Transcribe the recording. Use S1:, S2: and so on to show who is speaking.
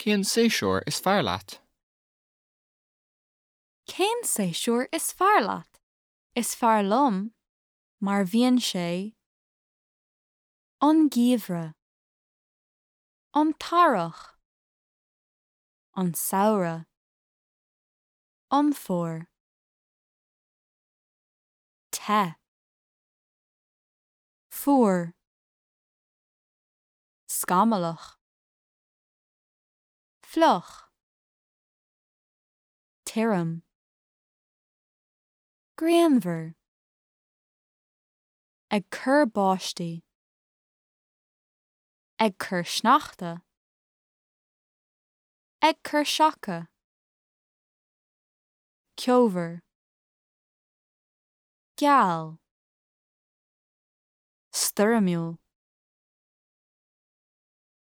S1: Cén séasúr is fearr leat?
S2: Cén séasúr is fearr leat? Is fearr liom mar bhíonn sé An geimhreadh An t-earrach An samhradh An fómhar Te Fuar Scamallach Fliuch Tirim Grianmhar Ag cur báistí. Ag cur sneachta. Ag cur seaca. Ceomhar. Geal. Stoirmiúil.